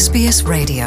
SBS Radio.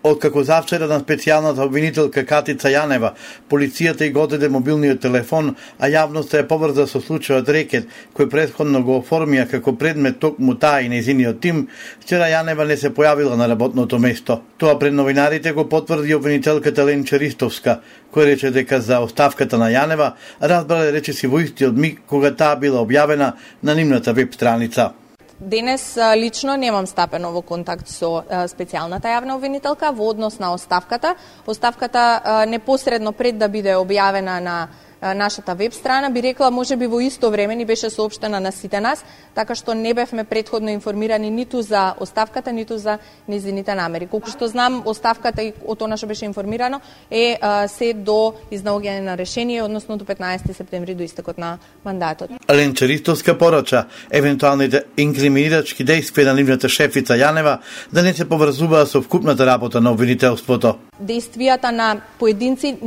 Откако завчера на специјалната обвинителка Катица Јанева, полицијата и го одеде мобилниот телефон, а јавноста е поврза со случајот рекет, кој претходно го оформија како предмет токму таа и нејзиниот тим, вчера Јанева не се појавила на работното место. Тоа пред новинарите го потврди обвинителката Ленче Ристовска, кој рече дека за оставката на Јанева разбрале речиси во истиот миг кога таа била објавена на нивната веб страница. Денес лично немам стапено во контакт со специјалната јавна обвинителка во однос на оставката. Оставката непосредно пред да биде објавена на нашата веб страна, би рекла можеби во исто време ни беше соопштена на сите нас, така што не бевме претходно информирани ниту за оставката, ниту за незините намери. Колку што знам, оставката и од она што беше информирано е се до изнаоѓање на решение, односно до 15 септември, до истекот на мандатот. Ленче Ристовска порача евентуалните инкриминирачки действија на нивната шефица Јанева да не се поврзуваа со вкупната работа на обвинителството. Действијата на поединци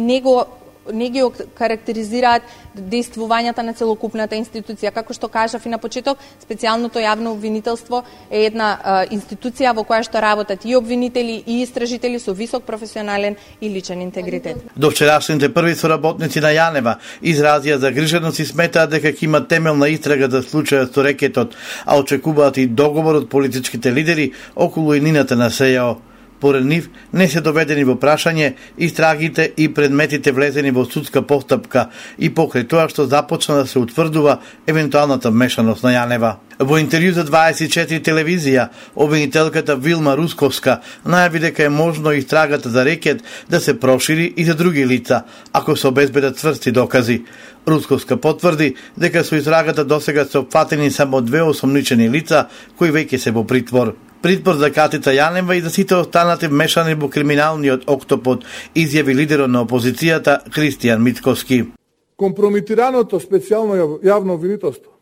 не ги карактеризираат действувањата на целокупната институција. Како што кажав и на почеток, специјалното јавно обвинителство е една институција во која што работат и обвинители и истражители со висок професионален и личен интегритет. До вчерашните први соработници на Јанева изразија загриженост и сметаат дека ќе има темелна истрага за случајот со рекетот, а очекуваат и договор од политичките лидери околу иднината на СЈО. Поред нив не се доведени во прашање истрагите и предметите влезени во судска постапка и покрај тоа што започна да се утврдува евентуалната вмешаност на Јанева. Во интервју за 24 телевизија, обвинителката Вилма Русковска најави дека е можно истрагата за рекет да се прошири и за други лица, ако се обезбедат цврсти докази. Русковска потврди дека со истрагата досега се опфатени само 2 осомничени лица кои веќе се во притвор. Притвор за Катица Јанева и за сите останати вмешани во криминалниот октопод, изјави лидерот на опозицијата Христијан Мицковски. Компрометираното специјално јавно обвинителство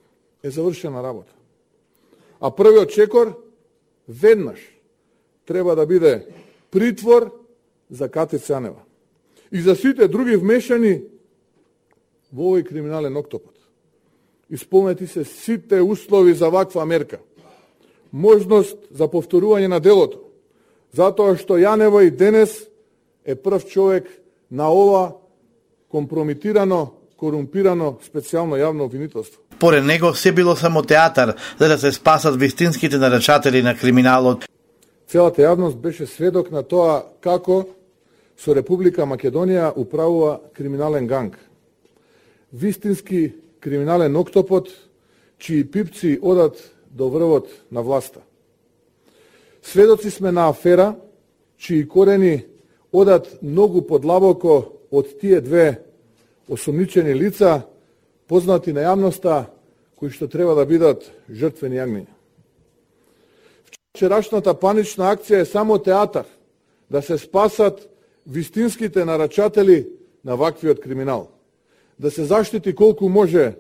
е завршена работа. А првиот чекор веднаш треба да биде притвор за Катица Јанева и за сите други вмешани во овој криминален октопод. Исполнети се сите услови за ваква мерка. Можност за повторување на делото, затоа што Јанева и денес е прв човек на ова компрометирано, корумпирано специјално јавно обвинителство. Поред него се било само театар за да се спасат вистинските нарачатели на криминалот. Целата јавност беше сведок на тоа како со Република Македонија управува криминален ганг. Вистински криминален октопод, чии пипци одат до врвот на власта. Сведоци сме на афера, чии корени одат многу подлабоко од тие две осомничени лица, познати на јавноста, кои што треба да бидат жртвени јагниња. Вчерашната панична акција е само театар да се спасат вистинските нарачатели на ваквиот криминал. Да се заштити колку може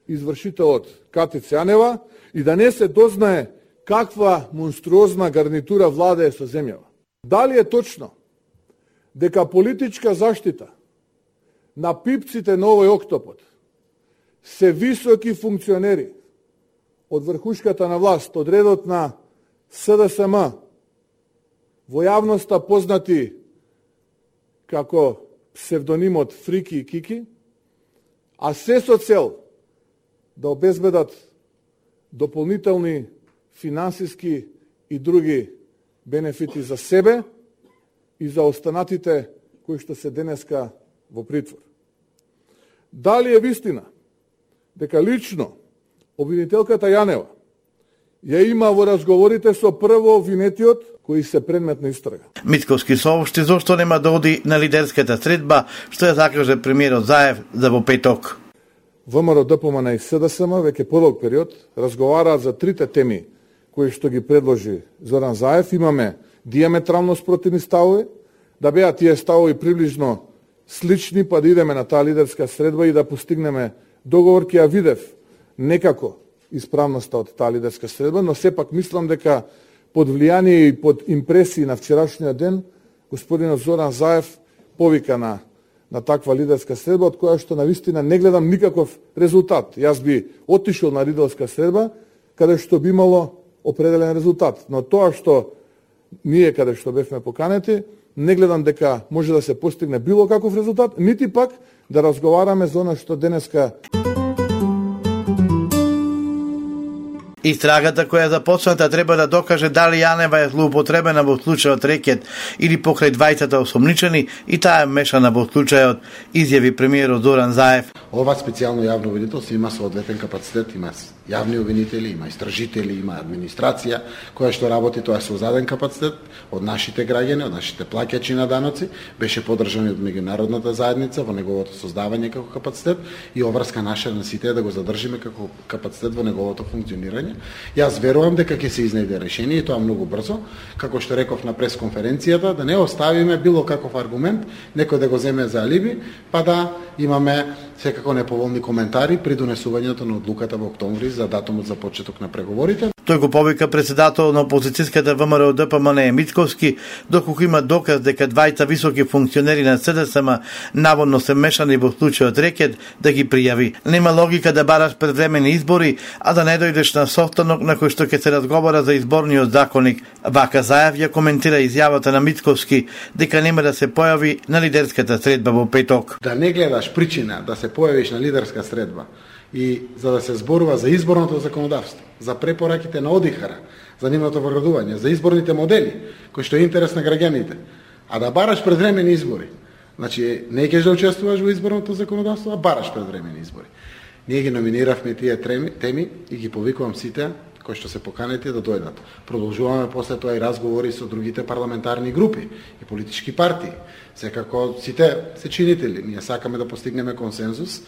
извршителот Катица Јанева и да не се дознае каква монструозна гарнитура владее со земјава. Дали е точно дека политичка заштита на пипците на овој октопод се високи функционери од врхушката на власт, од редот на СДСМ, во јавноста познати како псевдонимот Фрики и Кики, а се со цел да обезбедат дополнителни финансиски и други бенефити за себе и за останатите кои што се денеска во притвор. Дали е вистина дека лично обвинителката Јанева ја има во разговорите со прво обвинетиот кои се предмет на истрага? Мицковски соопшти зошто нема да оди на лидерската средба, што ја закаже премиерот Заев за во петок. ВМРО, ДПМН и СДСМ веќе подолг период разговараат за трите теми кои што ги предложи Зоран Заев. Имаме диаметрално спротивни ставови, да беа тие ставови приближно слични, па да идеме на таа лидерска средба и да постигнеме договор. Ќе ја видев некако исправноста од таа лидерска средба, но сепак мислам дека под влијание и под импресии на вчерашниот ден господинот Зоран Заев повика на таква лидерска средба, од која што навистина не гледам никаков резултат. Јас би отишол на лидерска средба, каде што би имало определен резултат. Но тоа што ние каде што бевме поканети, не гледам дека може да се постигне било каков резултат, нити пак да разговараме за она што денеска. Истрагата која е започната треба да докаже дали Јанева е злоупотребена во случајот рекет или покрај двајцата осомничени и таа е мешана во случајот, изјави премиерот Зоран Заев. Ова специјално јавно обвинителство има соодветен капацитет, има јавни обвинители, има истражители, има администрација која што работи, тоа е со заден капацитет од нашите граѓани, од нашите плаќачи на даноци, беше поддржан од меѓународната заедница во неговото создавање како капацитет и обврска наша на сите да го задржиме како капацитет во неговото функционирање. Јас верувам дека ќе се изнајде решение и тоа многу брзо, како што реков на пресконференцијата, да не оставиме било каков аргумент некој да го земе за алиби, па да имаме секако неповолни коментари при донесувањето на одлуката во октомври за датумот за почеток на преговорите. Тој го повика председател на опозицијската ВМРО ДПМН Мицковски, доколку има доказ дека двајца високи функционери на СДСМ наводно се мешани во случајот рекет, да ги пријави. Нема логика да бараш предвремени избори, а да не дојдеш на состанок на кој што ќе се разговара за изборниот законник. Вака Заев ја коментира изјавата на Мицковски дека нема да се појави на лидерската средба во петок. Да не гледаш причина да се појавиш на лидерска средба и за да се зборува за изборното законодавство, за препораките на ОДИХР, за нивното вградување, за изборните модели, кои што е интерес на граѓаните, а да бараш предвремени избори. Значи, не ќе да учествуваш во изборното законодавство, а бараш предвремени избори. Ние ги номиниравме тие теми и ги повикувам сите кои што се поканети да дојдат. Продолжуваме после тоа и разговори со другите парламентарни групи и политички партии. Секако сите се чинители. Ние сакаме да постигнеме консензус.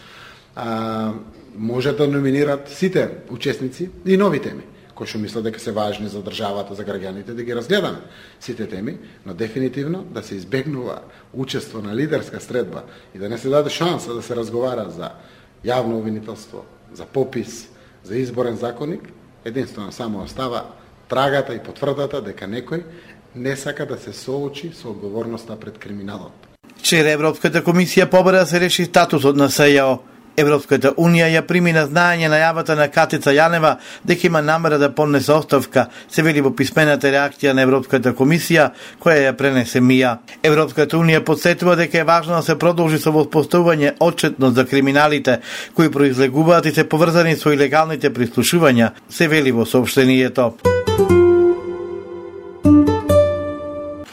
Може да номинират сите учесници и нови теми, кои што мислат дека се важни за државата, за граѓаните, да ги разгледаме сите теми, но дефинитивно да се избегнува учество на лидерска средба и да не се даде шанса да се разговара за јавно обвинителство, за попис, за изборен законник, единствено само остава трагата и потврдата дека некој не сака да се соочи со одговорноста пред криминалот. Вчера Европската комисија побара да се реши статусот на СЈО. Европската унија ја прими на знаење најавата на Катица Јанева дека има намера да поднесе оставка, се вели во писмената реакција на Европската комисија, која ја пренесе МИА. Европската унија подсетува дека е важно да се продолжи со воспоставување отчетност за криминалите кои произлегуваат и се поврзани со илегалните прислушувања, се вели во соопштението.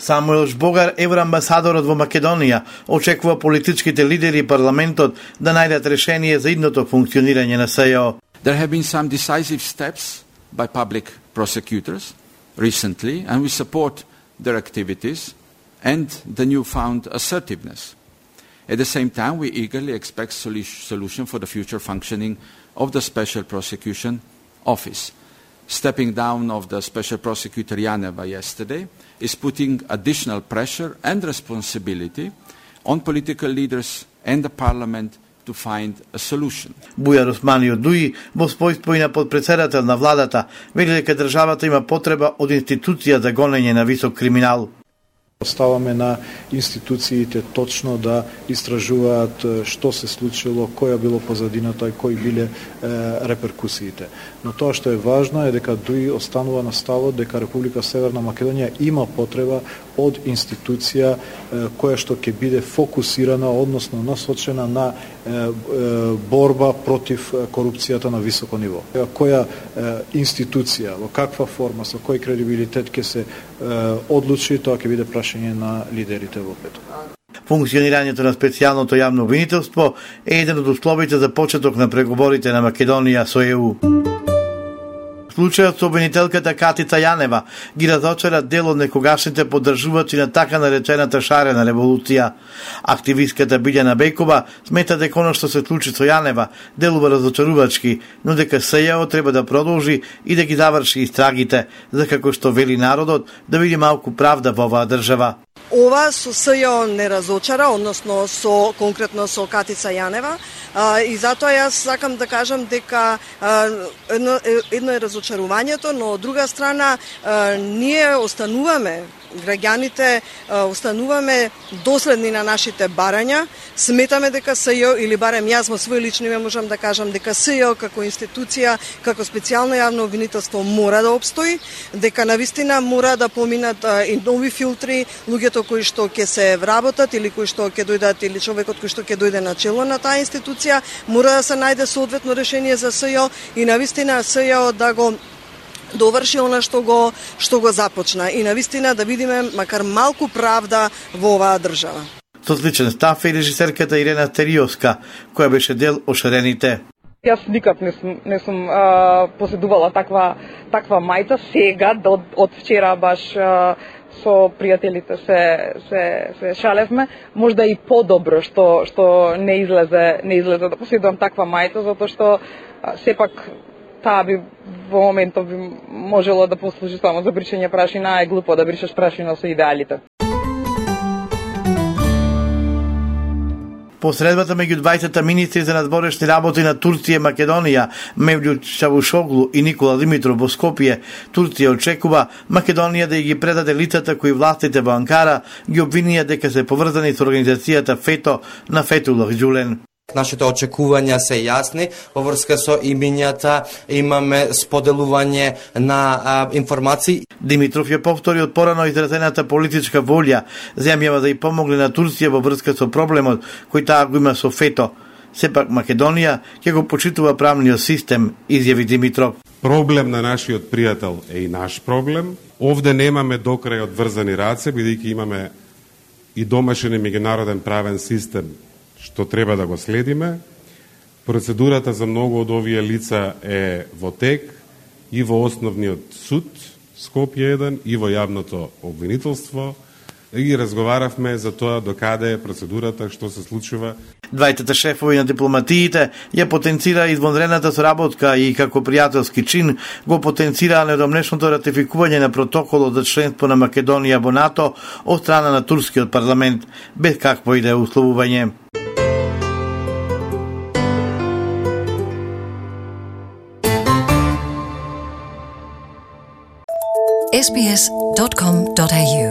Самуел Жбогар, евроамбасадорот во Македонија, очекува политичките лидери и парламентот да најдат решение за идното функционирање на СЈО. There have been some decisive steps by public prosecutors recently, and we support their activities and the newfound assertiveness. At the same time, we eagerly expect solution for the future functioning of the Special Prosecution Office. Stepping down of the Special Prosecutor Janeva yesterday is putting additional pressure and responsibility on political leaders and the Parliament to find a solution. Бујар Османио Дуи, во својство и на подпредседател на владата, вели дека државата има потреба од институција за гонење на висок криминал. Оставаме на институциите точно да истражуваат што се случило, која било позадината и кои биле реперкусиите. Но тоа што е важно е дека Дуи останува на ставот дека Република Северна Македонија има потреба од институција која што ќе биде фокусирана, односно насочена на борба против корупцијата на високо ниво. Која институција, во каква форма, со кој кредибилитет ќе се одлучи, тоа ќе биде прашање на лидерите во петок. Функционирањето на специјалното јавно обвинителство е еден од условите за почеток на преговорите на Македонија со ЕУ. Случајот со обвинителката Катица Јанева ги разочара дел од некогашните поддржувачи на така наречената шарена револуција. Активистката Билјана Бекова смета дека оно што се случи со Јанева делува разочарувачки, но дека СЈО треба да продолжи и да ги заврши истрагите, за како што вели народот да види малку правда во оваа држава. Ова со СЈО не разочара, односно конкретно со Катица Јанева, и затоа јас сакам да кажам дека едно е разочарувањето, но од друга страна ние остануваме граѓаните остануваме доследни на нашите барања. Сметаме дека СЈО, или барем јас во свој лично име можам да кажам дека СЈО како институција, како специјално јавно обвинителство мора да обстои, дека навистина мора да поминат и нови филтри, луѓето кои што ќе се вработат или кои што ќе дојдат, или човекот кој што ќе дојде на чело на таа институција, мора да се најде соодветно решение за СЈО и навистина СЈО да го доврши она што го започна и навистина да видиме макар малку правда во оваа држава. Со сличен став е режисерката Ирена Териовска, која беше дел од шарените. Јас никак не сум поседувала таква мајца. Сега, од вчера баш со пријателите се шалевме. Можда и подобро што не излезе да поседувам таква мајца, затоа што сепак таа би во моментов би можело да послужи само за бришење прашина, а е глупо да бришеш прашина со идеалите. По средбата меѓу двајцата министри за надворешни работи на Турција и Македонија, Мевлют Чавушоглу и Никола Димитров во Скопје, Турција очекува Македонија да ги предаде лицата кои властите во Анкара ги обвинија дека се поврзани со организацијата ФЕТО на Фетулах Ѓулен. Нашите очекувања се јасни, во врска со имињата имаме споделување на информации. Димитров ја повтори од порано изразената политичка волја земјава да ја помогне на Турција во врска со проблемот кој таа го има со ФЕТО. Сепак Македонија ќе го почитува правниот систем, изјави Димитров. Проблем на нашиот пријател е и наш проблем. Овде немаме докрај одврзани раце, бидејќи имаме и домашен и меѓународен правен систем што треба да го следиме. Процедурата за многу од овие лица е во тек и во Основниот суд Скопје 1 и во јавното обвинителство. И разговаравме за тоа докаде е процедурата, што се случува. Двајтата шефови на дипломатиите ја потенцира извонредната соработка и како пријателски чин го потенцираа недомнешното ратификување на протоколот за членство на Македонија во НАТО од страна на турскиот парламент, без какво и да е условување. sbs.com.au